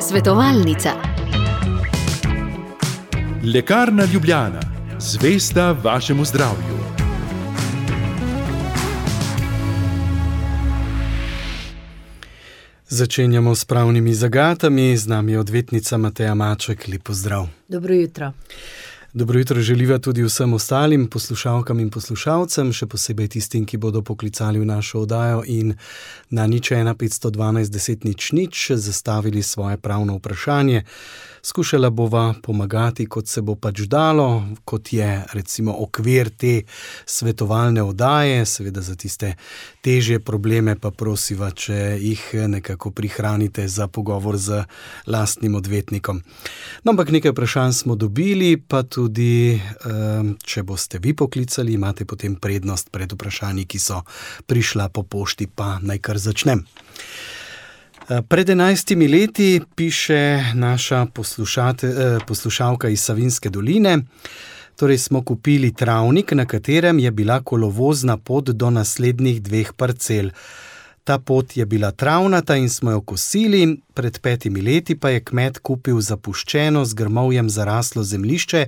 Svetovalnica. Lekarna Ljubljana, zvesta vašemu zdravju. Začenjamo s pravnimi zagatami, z nami je odvetnica Mateja Maček. Lep pozdrav. Dobro jutro. Dobro jutro želiva tudi vsem ostalim poslušalkam in poslušalcem, še posebej tistim, ki bodo poklicali v našo oddajo in na 01 512 10 00 zastavili svoje pravno vprašanje. Skušala bova pomagati, kot se bo pač dalo, kot je recimo okvir te svetovalne oddaje, seveda za tiste težje probleme pa prosiva, če jih nekako prihranite za pogovor z lastnim odvetnikom. No, ampak nekaj vprašanj smo dobili, pa tudi, če boste vi poklicali, imate potem prednost pred vprašanji, ki so prišla po pošti, pa naj kar začnem. Pred 11 leti, piše naša poslušalka iz Savinjske doline, torej smo kupili travnik, na katerem je bila kolovozna pot do naslednjih 2 parcel. Ta pot je bila travnata in smo jo kosili, pred 5 leti pa je kmet kupil zapuščeno z grmovjem zaraslo zemljišče,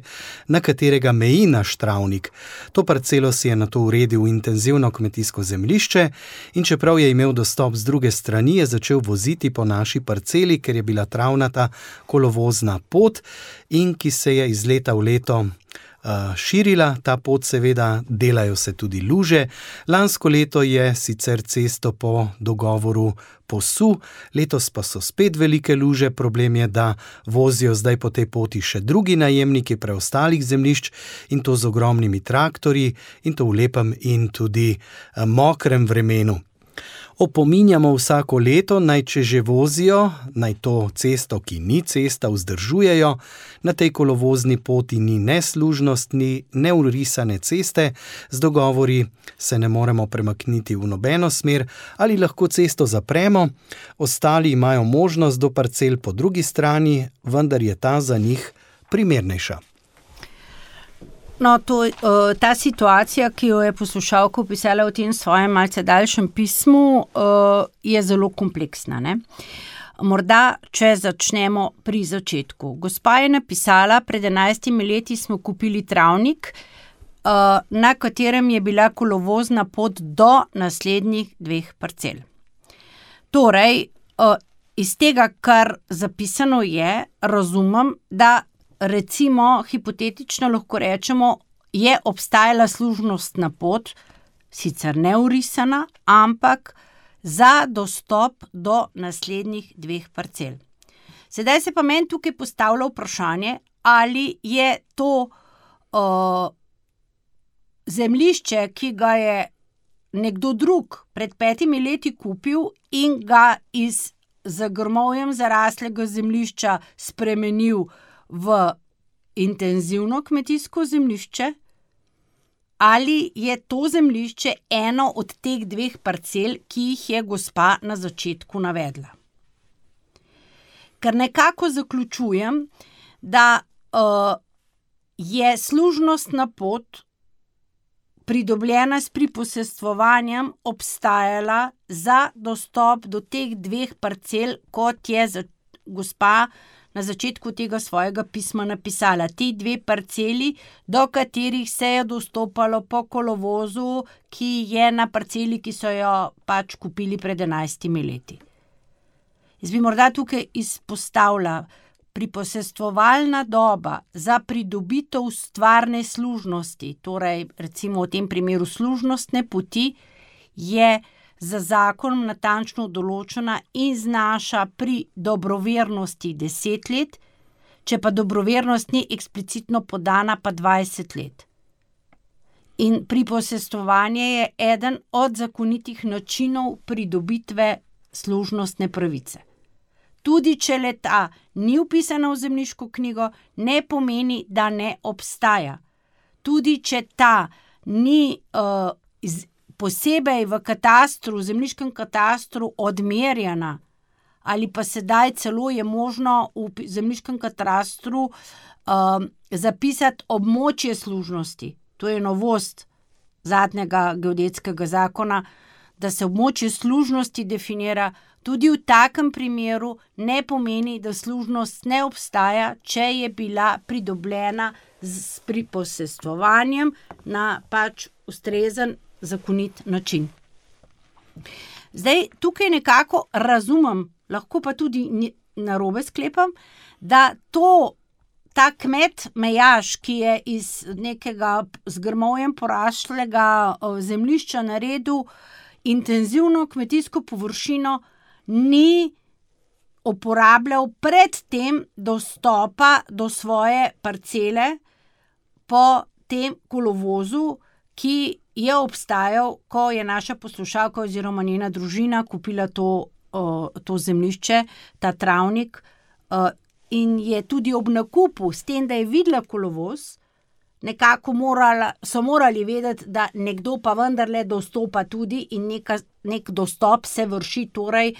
na katerega meji naš travnik. To parcelo si je nato uredil intenzivno kmetijsko zemljišče in čeprav je imel dostop z druge strani, je začel voziti po naši parceli, ker je bila travnata kolovozna pot in ki se je iz leta v leto širila. Ta pot seveda, delajo se tudi luže. Lansko leto je sicer cesto po dogovoru posul, letos pa so spet velike luže. Problem je, da vozijo zdaj po tej poti še drugi najemniki preostalih zemljišč in to z ogromnimi traktorji in to v lepem in tudi mokrem vremenu. Opominjamo vsako leto, naj če že vozijo, naj to cesto, ki ni cesta, vzdržujejo. Na tej kolovozni poti ni ne služnost, ni neurisane ceste, z dogovori se ne moremo premakniti v nobeno smer, ali lahko cesto zapremo, ostali imajo možnost do parcel po drugi strani, vendar je ta za njih primernejša. No, ta situacija, ki jo je poslušalka opisala v tem svojem malce daljšem pismu, je zelo kompleksna, ne? Morda, če začnemo pri začetku. Gospa je napisala, pred 11 leti smo kupili travnik, na katerem je bila kolovozna pot do naslednjih 2 parcel. Torej, iz tega, kar zapisano je, razumem, da recimo, hipotetično lahko rečemo, je obstajala služnostna pot, sicer neurisana, ampak za dostop do naslednjih 2 parcel. Sedaj se pa meni tukaj postavlja vprašanje, ali je to zemljišče, ki ga je nekdo drug pred 5 leti kupil in ga iz z grmovjem zaraslega zemljišča spremenil v intenzivno kmetijsko zemljišče, ali je to zemljišče eno od teh 2 parcel, ki jih je gospa na začetku navedla. Ker nekako zaključujem, da je služnostna pot pridobljena s priposestvovanjem obstajala za dostop do teh 2 parcel, kot je gospa na začetku tega svojega pisma napisala. Ti 2 parceli, do katerih se je dostopalo po kolovozu, ki je na parceli, ki so jo pač kupili pred 11 leti. Jaz bi morda tukaj izpostavila, priposestvovalna doba za pridobitev stvarne služnosti, torej recimo v tem primeru služnostne poti, je za zakonom natančno določena in znaša pri dobrovernosti 10 let, če pa dobrovernost ni eksplicitno podana, pa 20 let. In priposestvovanje je eden od zakonitih načinov pridobitve služnostne pravice. Tudi če le-ta ni vpisana v zemljiško knjigo, ne pomeni, da ne obstaja. Tudi če ta ni posebej v katastru, v zemljiškem katastru odmerjena, ali pa sedaj celo je možno v zemljiškem katastru zapisati območje služnosti. To je novost zadnjega geodetskega zakona, da se območje služnosti definira tudi v takem primeru ne pomeni, da služnost ne obstaja, če je bila pridobljena s priposestvovanjem na pač ustrezen, zakonit način. Zdaj, tukaj nekako razumem, lahko pa tudi narobe sklepam, da ta kmet mejaš, ki je iz nekega z grmovjem poraslega zemljišča naredil intenzivno kmetijsko površino, ni uporabljal pred tem dostopa do svoje parcele po tem kolovozu, ki je obstajal, ko je naša poslušalka oziroma njena družina kupila to zemljišče, ta travnik, in je tudi ob nakupu, s tem, da je videla kolovoz, nekako so morali vedeti, da nekdo pa vendarle dostopa tudi in nek dostop se vrši, torej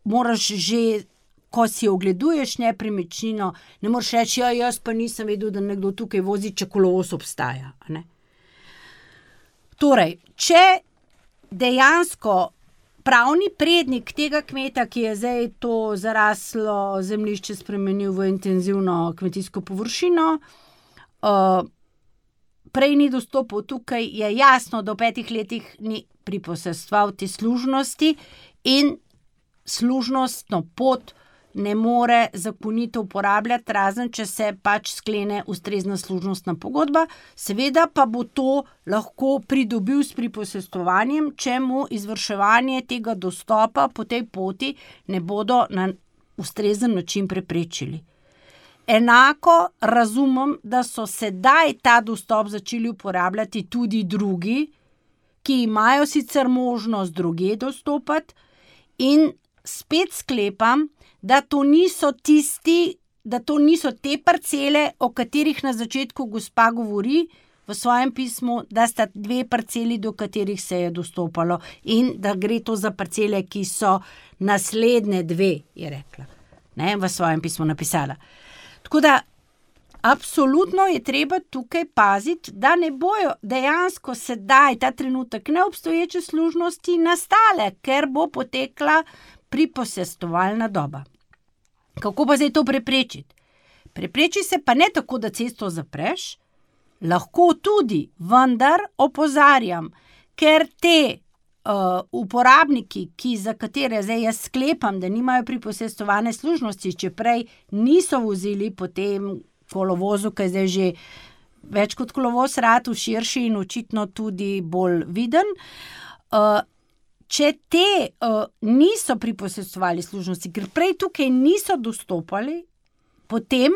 moraš že, ko si ogleduješ nepremičnino, ne moreš reči, jaz pa nisem vedel, da nekdo tukaj vozi, če kolovoz obstaja. Ne? Torej, če dejansko pravni prednik tega kmeta, ki je zdaj to zaraslo zemljišče spremenil v intenzivno kmetijsko površino, prej ni dostopal tukaj, je jasno, da v 5 letih ni priposestvoval te služnosti in služnostno pot ne more zakonito uporabljati, razen če se pač sklene ustrezna služnostna pogodba, seveda pa bo to lahko pridobil s priposestvovanjem, če mu izvrševanje tega dostopa po tej poti ne bodo na ustrezen način preprečili. Enako razumem, da so sedaj ta dostop začeli uporabljati tudi drugi, ki imajo sicer možnost drugje dostopati, in spet sklepam, da to niso te parcele, o katerih na začetku gospa govori v svojem pismu, da sta 2 parceli, do katerih se je dostopalo, in da gre to za parcele, ki so naslednje 2, je rekla. Ne, v svojem pismu napisala. Tako da, absolutno je treba tukaj paziti, da ne bojo dejansko sedaj, ta trenutek, neobstoječe služnosti nastale, ker bo potekla priposestovalna doba. Kako pa zdaj to preprečiti? Prepreči se pa ne tako, da cesto zapreš, lahko tudi, vendar opozarjam, ker te uporabniki, za katere zdaj jaz sklepam, da nimajo priposestovane služnosti, če prej niso vozili po tem kolovozu, ki je zdaj že več kot kolovoz ratu, širši in očitno tudi bolj viden, če te niso priposestovali služnosti, ker prej tukaj niso dostopali, potem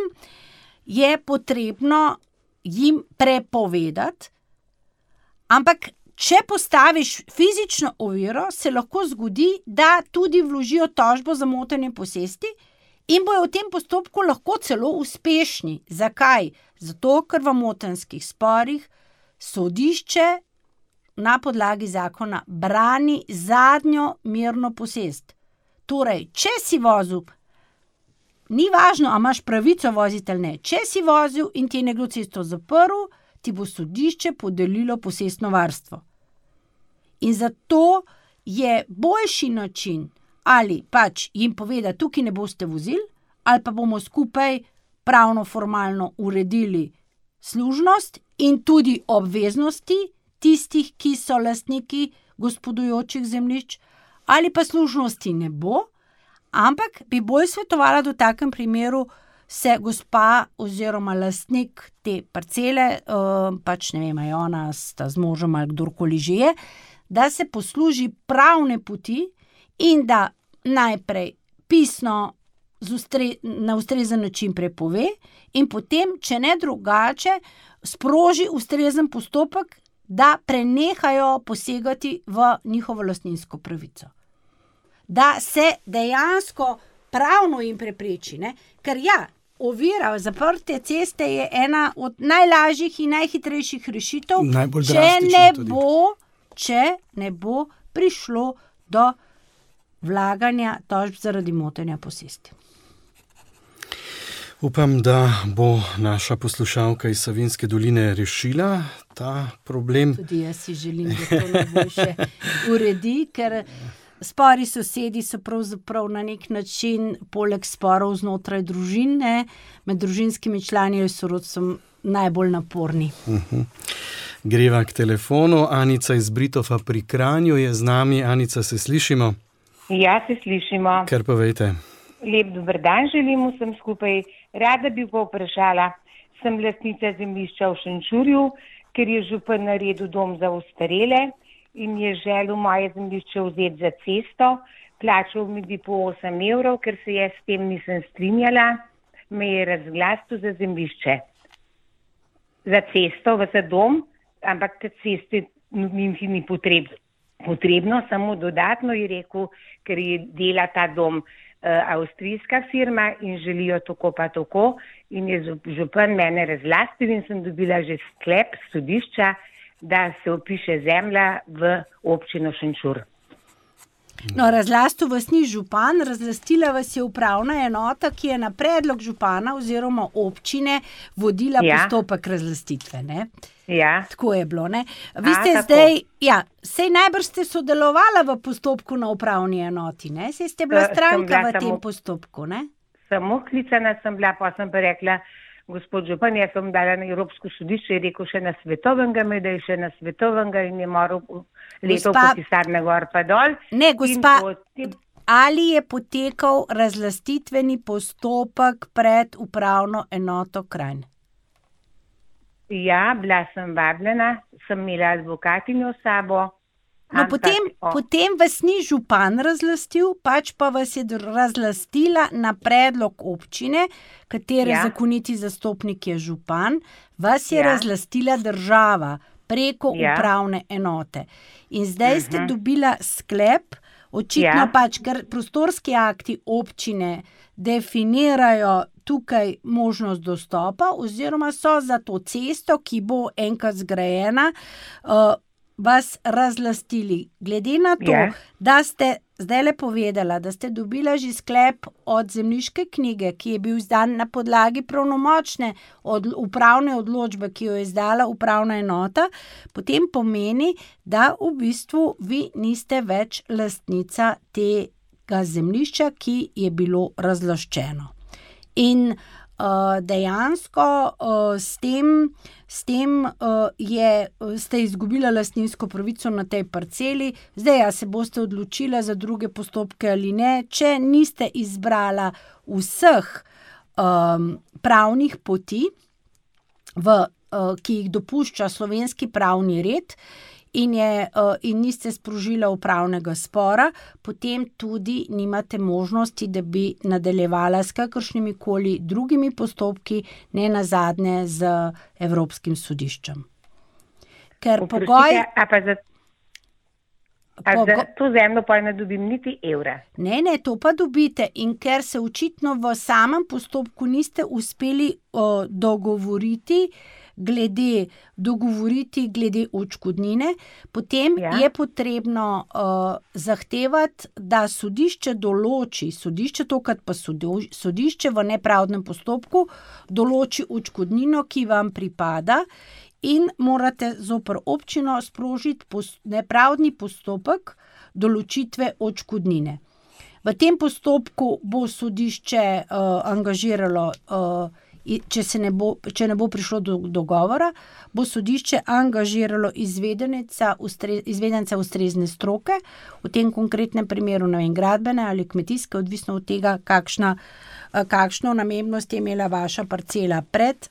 je potrebno jim prepovedati, ampak če postaviš fizično oviro, se lahko zgodi, da tudi vložijo tožbo za motenje posesti in bojo v tem postopku lahko celo uspešni. Zakaj? Zato, ker v motenskih sporih sodišče na podlagi zakona brani zadnjo mirno posest. Torej, če si vozil, ni važno, a imaš pravico voziti ali ne, če si vozil in ti je nekdo cesto zaprl, ti bo sodišče podelilo posestno varstvo. In zato je boljši način, ali pač jim povedati, tukaj ne boste vozili, ali pa bomo skupaj pravno formalno uredili služnost in tudi obveznosti tistih, ki so lastniki gospodujočih zemljišč, ali pa služnosti ne bo, ampak bi bolj svetovala, da v takem primeru se gospa oziroma lastnik te parcele, pač ne vem, je ona sta z možem ali kdorkoli že je, da se posluži pravne poti in da najprej pisno na ustrezen način prepove in potem, če ne drugače, sproži ustrezen postopek, da prenehajo posegati v njihovo lastninsko pravico. Da se dejansko pravno jim prepreči, ne? Ker ovira zaprte ceste je ena od najlažjih in najhitrejših rešitev, če ne bo prišlo do vlaganja tožb zaradi motenja posesti. Upam, da bo naša poslušalka iz Savinjske doline rešila ta problem. Tudi jaz si želim, da to najboljše uredi, ker spori sosedi so pravzaprav na nek način, poleg sporov znotraj družine, med družinskimi člani ali sorodstvom najbolj naporni. Greva k telefonu. Anica iz Britova pri Kranju je z nami. Anica, se slišimo? Ja, se slišimo. Kar povejte. Lep dober dan želim vsem skupaj. Rada bi pa vprašala, sem lastnica zemljišča v Šenčurju, ker je župan naredil dom za ostarele in je želel moje zemljišče vzeti za cesto. Plačal mi bi po 8 evrov, ker se jaz s tem nisem strinjala. Me je razglasil za zemljišče. Za cesto, za dom, ampak te ceste ni potrebno, samo dodatno je rekel, ker je dela ta dom avstrijska firma in želijo tako pa tako in je župan mene razglasil in sem dobila že sklep sodišča, da se vpiše zemlja v občino Šenčur. No, razlastil vas ni župan, razlastila vas je upravna enota, ki je na predlog župana oziroma občine vodila postopek razlastitve, ne? Ja. Tako je bilo, ne? Vi ste zdaj, sej najbrž ste sodelovala v postopku na upravni enoti, ne? Sej ste bila stranka v tem postopku, ne? Samo klicana sem bila, pa sem pa rekla, gospod župan, jaz sem dala na Evropsko sodišče, je rekel še na svetovnega, da je še na svetovnega in je moral leto po pisarne gor pa dol. Ne, gospa, ali je potekal razlastitveni postopek pred upravno enoto Kranj? Ja, bila sem vabljena, sem imela advokatinjo s sabo. No, potem vas ni župan razlastil, pač pa vas je razlastila na predlog občine, katere zakoniti zastopnik je župan, vas je razlastila država preko upravne enote. In zdaj ste dobila sklep, očitno pač, ker prostorski akti občine definirajo tukaj možnost dostopa oziroma so za to cesto, ki bo enkrat zgrajena, vas razlastili. Glede na to, da ste zdajle povedala, da ste dobila že sklep od zemljiške knjige, ki je bil izdan na podlagi pravnomočne upravne odločbe, ki jo je izdala upravna enota, potem pomeni, da v bistvu vi niste več lastnica tega zemljišča, ki je bilo razlaščeno. In dejansko s tem ste izgubila lastninsko pravico na tej parceli. Zdaj, se boste odločila za druge postopke ali ne, če niste izbrala vseh pravnih poti, ki jih dopušča slovenski pravni red, in niste sprožila upravnega spora, potem tudi nimate možnosti, da bi nadaljevala s kakršnimi koli drugimi postopki, ne nazadnje z Evropskim sodiščem. Ker pogoj... za to zemljo pa ne dobim niti evra. Ne, to pa dobite. In ker se očitno v samem postopku niste uspeli dogovoriti glede odškodnine, potem je potrebno zahtevati, da sodišče določi, tokrat pa sodišče v nepravdnem postopku določi odškodnino, ki vam pripada, in morate zoper občino sprožiti nepravdni postopek določitve odškodnine. V tem postopku bo sodišče angažiralo, če ne bo prišlo do dogovora, bo sodišče angažiralo izvedenca ustrezne stroke, v tem konkretnem primeru gradbene ali kmetijske, odvisno od tega, kakšno namembnost je imela vaša parcela pred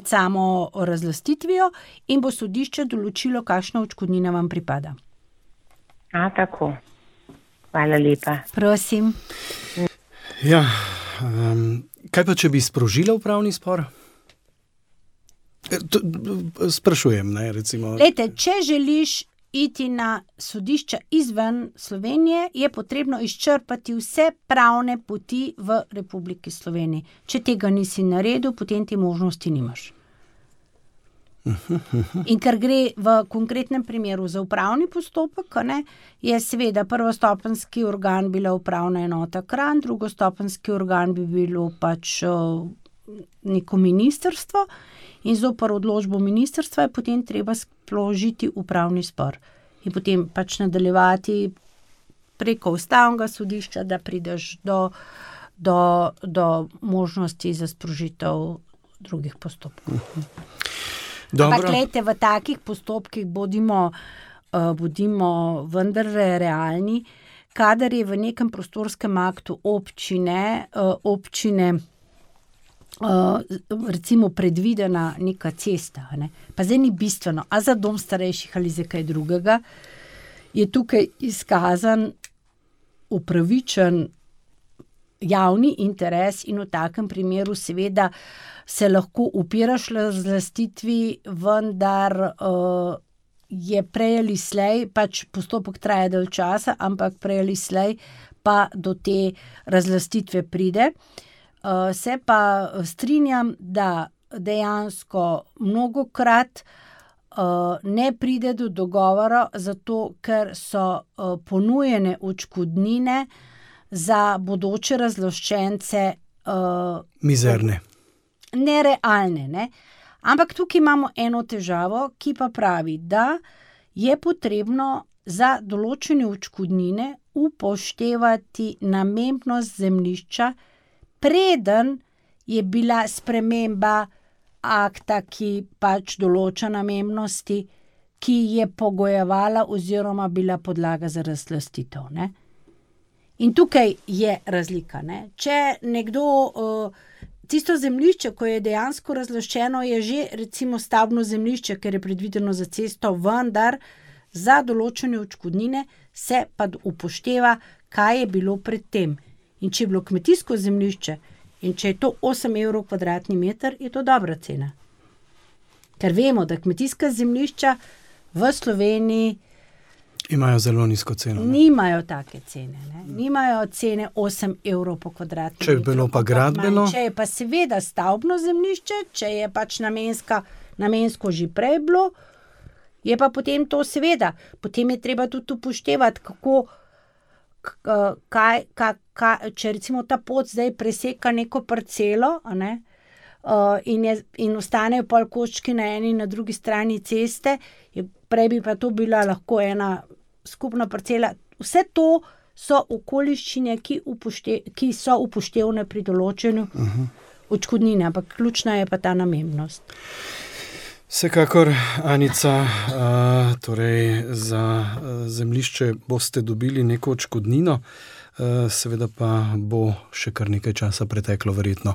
samo razlastitvijo, in bo sodišče določilo, kakšna odškodnina vam pripada. Tako. Hvala lepa. Prosim. Ja, kaj pa, če bi sprožila upravni spor? Sprašujem, ne, recimo. Glejte, če želiš iti na sodišča izven Slovenije, je potrebno izčrpati vse pravne poti v Republiki Sloveniji. Če tega nisi naredil, potem ti možnosti nimaš. In ker gre v konkretnem primeru za upravni postopek, je seveda prvostopenjski organ bila upravna enota Kranj, drugostopenjski organ bi bilo pač neko ministrstvo, in zoper odločbo ministrstva je potem treba sprožiti upravni spor. In potem pač nadaljevati preko ustavnega sodišča, da prideš do možnosti za sprožitev drugih postopkov. Ampak glejte, v takih postopkih bodimo vendar realni, kadar je v nekem prostorskem aktu občine recimo predvidena neka cesta, ne? Pa zdaj ni bistveno, a za dom starejših ali za kaj drugega, je tukaj izkazan upravičen javni interes in v takem primeru seveda se lahko upiraš razlastitvi, vendar je prej ali slej, pač postopek traja dalj časa, ampak prej ali slej pa do te razlastitve pride. Se pa strinjam, da dejansko mnogokrat ne pride do dogovora, zato ker so ponujene odškodnine za bodoče razloščence mizerne. Nerealne, ne? Ampak tukaj imamo eno težavo, ki pa pravi, da je potrebno za določene odškodnine upoštevati namembnost zemljišča, preden je bila sprememba akta, ki pač določa namembnosti, ki je pogojevala oziroma bila podlaga za razlastitev, ne? In tukaj je razlika, ne? Če nekdo tisto zemljišče, ko je dejansko razlaščeno, je že recimo stavbno zemljišče, ker je predvideno za cesto, vendar za določene odškodnine se pa upošteva, kaj je bilo pred tem. In če je bilo kmetijsko zemljišče in če je to 8 evrov kvadratni meter, je to dobra cena. Ker vemo, da kmetijska zemljišča v Sloveniji imajo zelo nizko ceno. Ne? Nimajo take cene. Ne? Nimajo cene 8 evrov po kvadratni metru. Če je bilo pa gradbeno? Če je pa seveda stavbno zemljišče, če je pač namensko že prej bilo, je pa potem to seveda. Potem je treba tudi upoštevati, če recimo ta pot zdaj preseka neko parcelo, a ne, in ostanejo pol koščki na eni in na drugi strani ceste, prej bi pa to bila lahko ena skupna parcela. Vse to so okoliščine, ki so upoštevne pri določenju odškodnine, ampak ključna je pa ta namembnost. Vsekakor, Anica, torej za zemljišče boste dobili neko odškodnino, seveda pa bo še kar nekaj časa preteklo verjetno,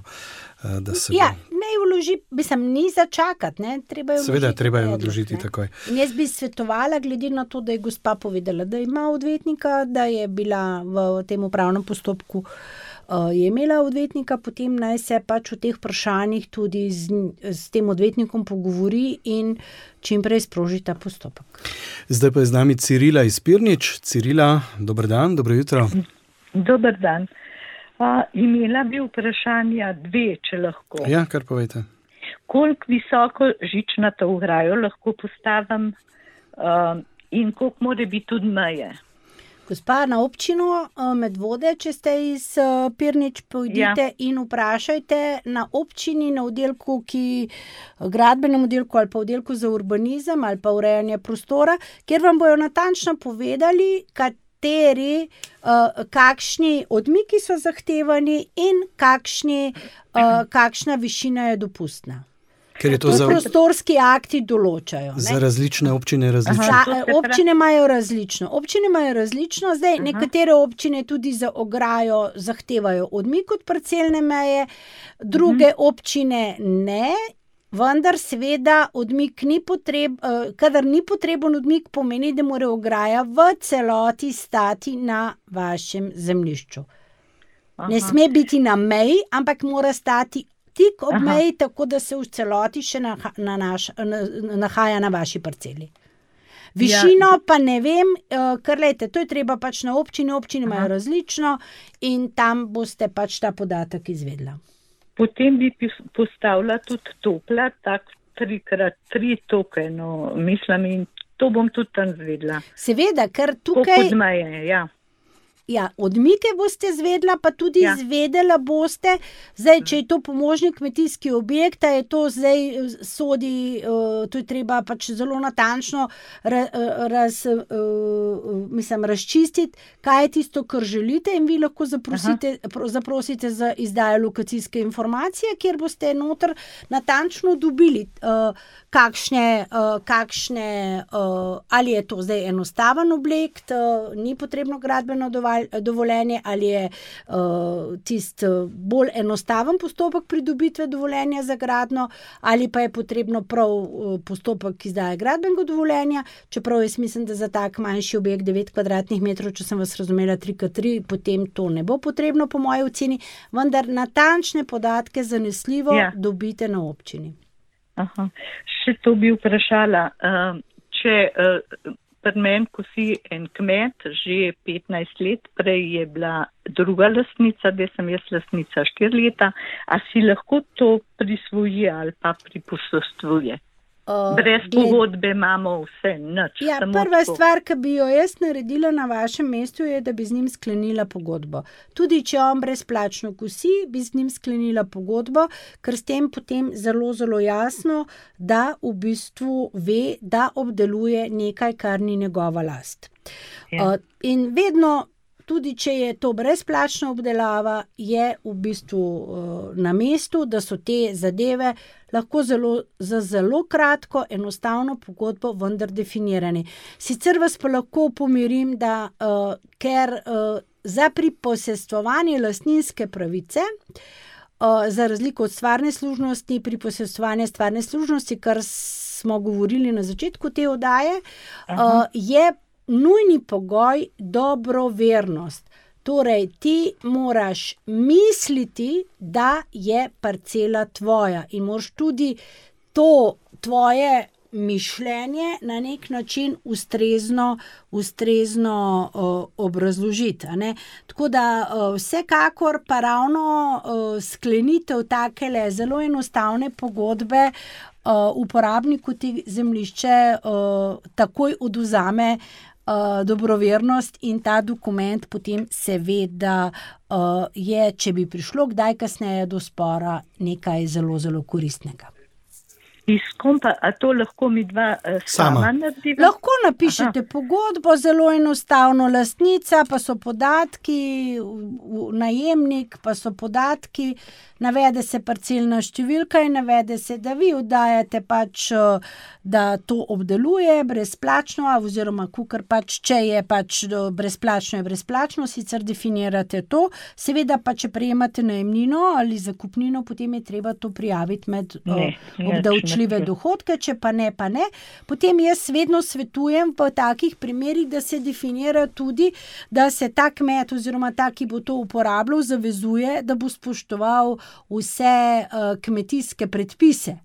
da se bo... Ne vloži, ni začakati, ne? Treba je seveda, treba je odložiti takoj. In jaz bi svetovala, glede na to, da je gospa povedala, da ima odvetnika, da je bila v tem upravnem postopku, je imela odvetnika, potem naj se pač o teh vprašanjih tudi s tem odvetnikom pogovori in čim prej sproži ta postopek. Zdaj pa je z nami Cirila iz Pirnič. Cirila, dober dan, dobro jutro. Dober dan. Imela bi vprašanja 2, če lahko. Ja, kar povejte. Koliko visoko žičnato ograjo lahko postavim in koliko mora biti tudi meje? Gospa, na občino Medvode, če ste iz Pirnič, pojdite in vprašajte na občini, na oddelku, gradbenem oddelku ali pa oddelku za urbanizem ali pa urejanje prostora, kjer vam bojo natančno povedali, kakšni odmiki so zahtevani in kakšna višina je dopustna. Ker je to prostorski akti določajo. Za različne občine različno. Občine imajo različno. Zdaj, nekatere občine tudi za ograjo zahtevajo odmik od parcelne meje, druge občine ne, vendar seveda odmik ni kadar ni potreben odmik, pomeni, da mora ograja v celoti stati na vašem zemljišču. Ne sme biti na meji, ampak mora stati tik ob meji, tako da se v celoti še nahaja na vaši parceli. Višino pa ne vem, ker lejte, to je treba pač na občini imajo različno in tam boste pač ta podatek izvedla. Potem bi postavila tudi topla, tak 3x3 toke, mislim, in to bom tudi tam zvedla. Seveda, ker tukaj... Pod meje, ja. odmike boste zvedla, pa tudi zvedela boste, zdaj, če je to pomožni kmetijski objekt, je to zdaj sodi, to je treba pač zelo natančno razčistiti, kaj je tisto, kar želite, in vi lahko zaprosite za izdajo lokacijske informacije, kjer boste noter natančno dobili, kakšne, ali je to zdaj enostaven objekt, ni potrebno gradbeno dovoljenje, ali je tisti bolj enostaven postopek pridobitve dovoljenja za gradnjo, ali pa je potrebno prav postopek izdaje gradbenega dovoljenja, čeprav jaz mislim, da za tak manjši objekt 9 kvadratnih metrov, če sem vas razumela 3x3, potem to ne bo potrebno po moji oceni, vendar natančne podatke zanesljivo dobite na občini. Aha. Še to bi vprašala, če pri meni kosi en kmet že 15 let, prej je bila druga lastnica, da sem jaz lastnica 4 leta, a si lahko to prisvoji ali pa priposostvuje? Brez pogodbe imamo vse, nič. Prva stvar, ki bi jo jaz naredila na vašem mestu, je, da bi z njim sklenila pogodbo. Tudi če on brezplačno kosi, bi z njim sklenila pogodbo, ker s tem potem zelo, zelo jasno, da v bistvu ve, da obdeluje nekaj, kar ni njegova last. In vedno, tudi če je to brezplačna obdelava, je v bistvu na mestu, da so te zadeve lahko za zelo kratko, enostavno pogodbo vendar definirani. Sicer vas pa lahko pomirim, da ker za priposestvovanje lastninske pravice, za razliko od stvarne služnosti, priposestvovanje stvarne služnosti, kar smo govorili na začetku te oddaje, je nujni pogoj dobrovernost. Torej, ti moraš misliti, da je parcela tvoja in moraš tudi to tvoje mišljenje na nek način ustrezno obrazložiti. Tako da vsekakor pa ravno sklenitev takele zelo enostavne pogodbe uporabniku te zemljišče takoj odvzame dobrovernost in ta dokument potem se ve, da je, če bi prišlo kdaj kasneje do spora, nekaj zelo, zelo koristnega. A to lahko mi dva sama narediva? Lahko napišete pogodbo, zelo enostavno, lastnica, pa so podatki, najemnik, pa so podatki, navede se parcelna številka in navede se, da vi oddajate pač, da to obdeluje brezplačno, oziroma kukar pač, če je pač brezplačno, sicer definirate to, seveda pa, če prejemate najemnino ali zakupnino, potem je treba to prijaviti med obdavčljive dohodke, če pa ne, pa ne. Potem jaz vedno svetujem v takih primerih, da se definira tudi, da se ta kmet oziroma ta, ki bo to uporabljal, zavezuje, da bo spoštoval vse kmetijske predpise,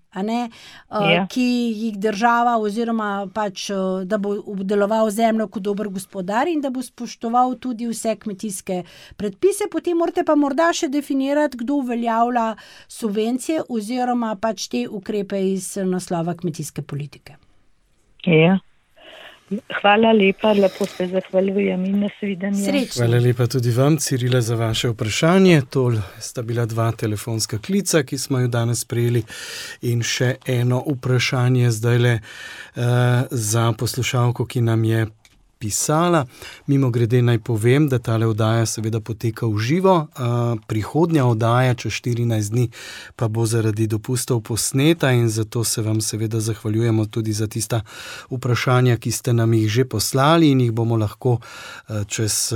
ki jih država oziroma pač, da bo obdeloval zemljo kot dober gospodar in da bo spoštoval tudi vse kmetijske predpise. Potem morate pa morda še definirati, kdo uveljavlja subvencije oziroma pač te ukrepe iz naslova kmetijske politike. Hvala lepa, lepo se zahvaljujem in nasvidenje. Srečno. Hvala lepa tudi vam, Cirila, za vaše vprašanje. To sta bila 2 telefonska klica, ki smo jo danes prejeli, in še eno vprašanje zdajle za poslušalko, ki nam je pisala. Mimogrede naj povem, da tale oddaja seveda poteka v živo. Prihodnja oddaja čez 14 dni pa bo zaradi dopustov posneta in zato se vam seveda zahvaljujemo tudi za tista vprašanja, ki ste nam jih že poslali in jih bomo lahko čez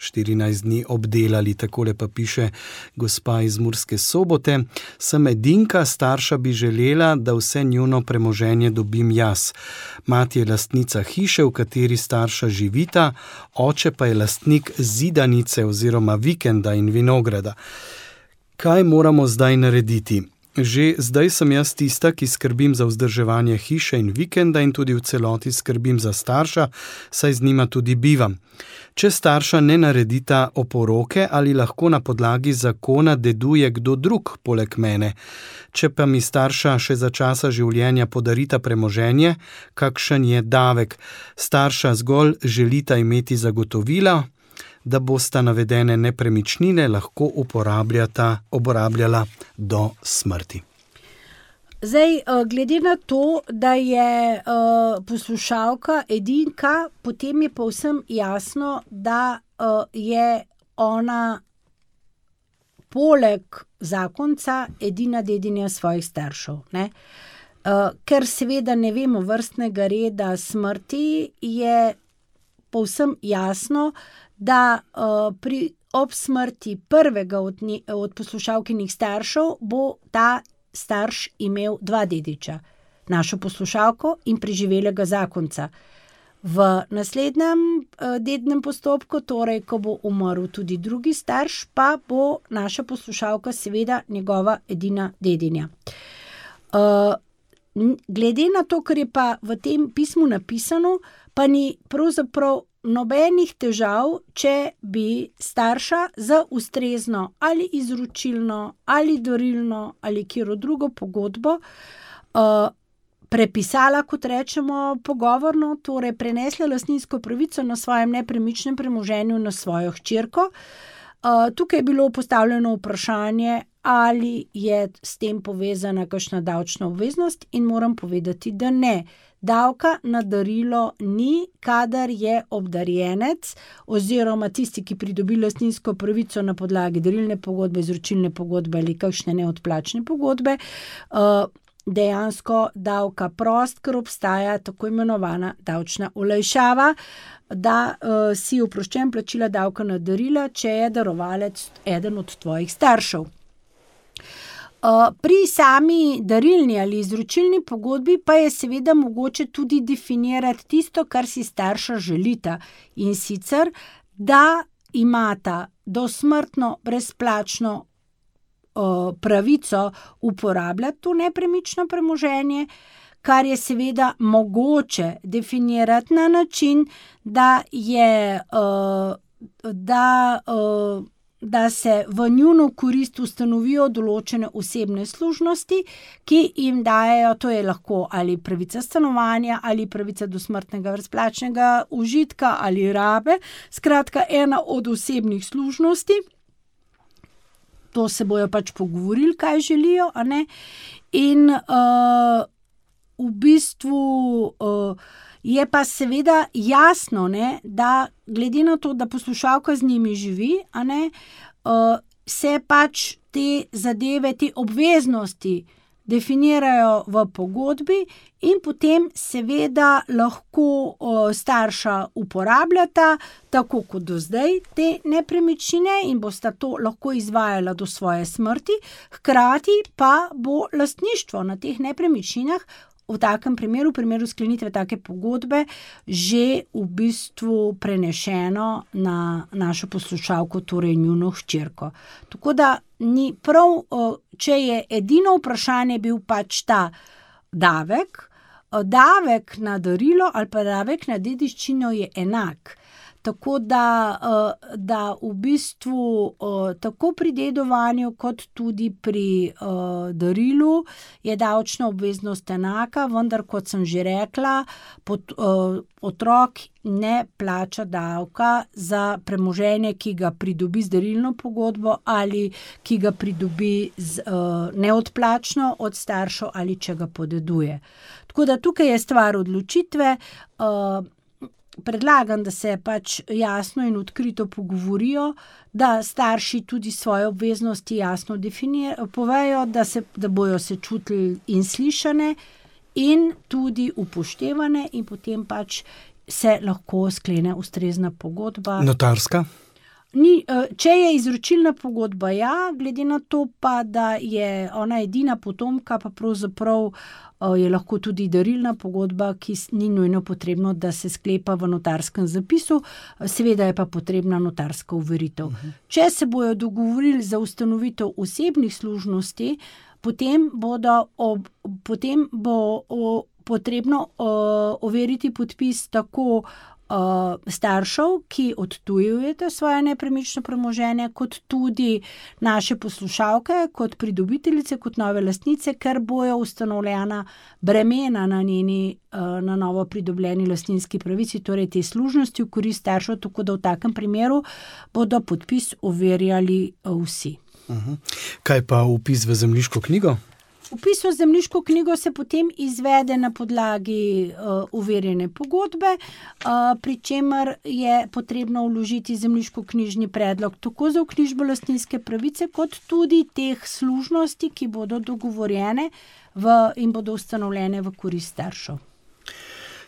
14 dni obdelali. Takole pa piše gospa iz Murske Sobote. Sem edinka, starša bi želela, da vse njuno premoženje dobim jaz. Mati je lastnica hiše, v kateri starša živita, oče pa je lastnik zidanice oziroma vikenda in vinograda. Kaj moramo zdaj narediti? Že zdaj sem jaz tista, ki skrbim za vzdrževanje hiše in vikenda in tudi v celoti skrbim za starša, saj z njima tudi bivam. Če starša ne naredita oporoke, ali lahko na podlagi zakona deduje kdo drug poleg mene? Če pa mi starša še za časa življenja podarita premoženje, kakšen je davek? Starša zgolj želita imeti zagotovila, da bosta navedene nepremičnine lahko uporabljala do smrti. Zdaj, glede na to, da je poslušalka edinka, potem je povsem jasno, da je ona poleg zakonca edina dedinja svojih staršev, ne? Ker seveda ne vemo vrstnega reda smrti, je povsem jasno, da ob smrti prvega od poslušalkinih staršev bo ta starš imel dva dediča, našo poslušalko in preživelega zakonca. V naslednjem dednem postopku, torej ko bo umrl tudi drugi starš, pa bo naša poslušalka seveda njegova edina dedinja. Glede na to, kar je pa v tem pismu napisano, pa ni pravzaprav nobenih težav, če bi starša za ustrezno ali izročilno, ali darilno, ali katero drugo pogodbo prepisala, kot rečemo, pogovorno, torej prenesla lastninsko pravico na svojem nepremičnem premoženju na svojo hčerko. Tukaj je bilo postavljeno vprašanje, ali je s tem povezana kakšna davčna obveznost, in moram povedati, da ne. Davka na darilo ni, kadar je obdarjenec oziroma tisti, ki pridobi lastninsko pravico na podlagi darilne pogodbe, izročilne pogodbe ali kakšne neodplačne pogodbe, dejansko davka prost, ker obstaja tako imenovana davčna olajšava, da si oproščen plačila davka na darila, če je darovalec eden od tvojih staršev. Pri sami darilni ali izročilni pogodbi pa je seveda mogoče tudi definirati tisto, kar si starša želita, in sicer, da imata dosmrtno brezplačno pravico uporabljati to nepremično premoženje, kar je seveda mogoče definirati na način, da se v njuno korist ustanovijo določene osebne služnosti, ki jim dajejo, to je lahko ali pravica stanovanja, ali pravica do smrtnega brezplačnega užitka ali rabe, skratka ena od osebnih služnosti. To se bojo pač pogovorili, kaj želijo, a ne? In v bistvu je pa seveda jasno, ne, da glede na to, da poslušalka z njimi živi, a ne, se pač te zadeve, te obveznosti definirajo v pogodbi in potem seveda lahko starša uporabljata tako kot do zdaj te nepremičnine in bosta to lahko izvajala do svoje smrti, hkrati pa bo lastništvo na teh nepremičninah v takem primeru, v primeru sklenitve take pogodbe, že v bistvu prenešeno na našo poslušalko, torej njuno hčerko. Tako da ni prav, če je edino vprašanje bil pač ta davek na darilo ali pa davek na dediščino je enak. Tako da v bistvu tako pri dedovanju kot tudi pri darilu je davčna obveznost enaka, vendar kot sem že rekla, otrok ne plača davka za premoženje, ki ga pridobi z darilno pogodbo ali ki ga pridobi neodplačno od staršev ali če ga podeduje. Tako da tukaj je stvar odločitve. Predlagam, da se pač jasno in odkrito pogovorijo, da starši tudi svoje obveznosti jasno povejo, da bojo se čutili in slišane in tudi upoštevane in potem pač se lahko sklene ustrezna pogodba. Notarska? Če je izročilna pogodba, ja, glede na to pa, da je ona edina potomka, pa pravzaprav je lahko tudi darilna pogodba, ki ni nujno potrebno, da se sklepa v notarskem zapisu, seveda je pa potrebna notarska overitev. Če se bojo dogovorili za ustanovitev osebnih služnosti, potem bo potrebno overiti podpis tako staršev, ki odtujujete svoje nepremično premoženje, kot tudi naše poslušalke, kot pridobiteljice, kot nove lastnice, ker bojo ustanovljena bremena na njeni na novo pridobljeni lastninski pravici, torej te služnosti v korist staršev, tako da v takem primeru bodo podpis overjali vsi. Kaj pa vpis v zemljiško knjigo? Vpis v zemljiško knjigo se potem izvede na podlagi overjene pogodbe, pri čemer je potrebno vložiti zemljiško-knjižni predlog tako za vknjižbo lastninske pravice, kot tudi teh služnosti, ki bodo dogovorjene in bodo ustanovljene v korist staršev.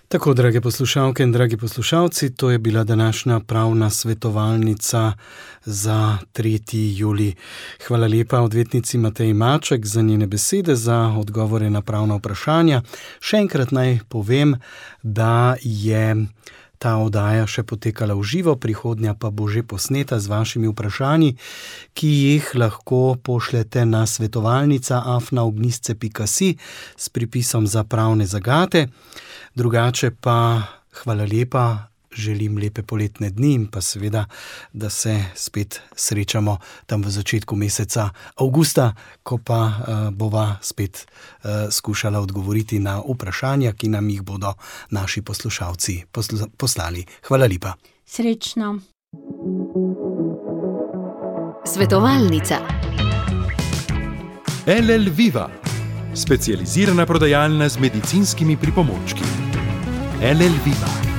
Tako, drage poslušalke in dragi poslušalci, to je bila današnja pravna svetovalnica za 3. julij. Hvala lepa odvetnici Mateji Maček za njene besede, za odgovore na pravna vprašanja. Še enkrat naj povem, da je ta oddaja še potekala v živo, prihodnja pa bo že posneta z vašimi vprašanji, ki jih lahko pošljete na svetovalnica@ognisce.si s pripisom za pravne zagate. Drugače pa hvala lepa, želim lepe poletne dni in pa seveda, da se spet srečamo tam v začetku meseca avgusta, ko pa bova spet skušala odgovoriti na vprašanja, ki nam jih bodo naši poslušalci poslali. Hvala lepa. Srečno. Svetovalnica. LL Viva, specializirana prodajalna z medicinskimi pripomočki. LL Viva.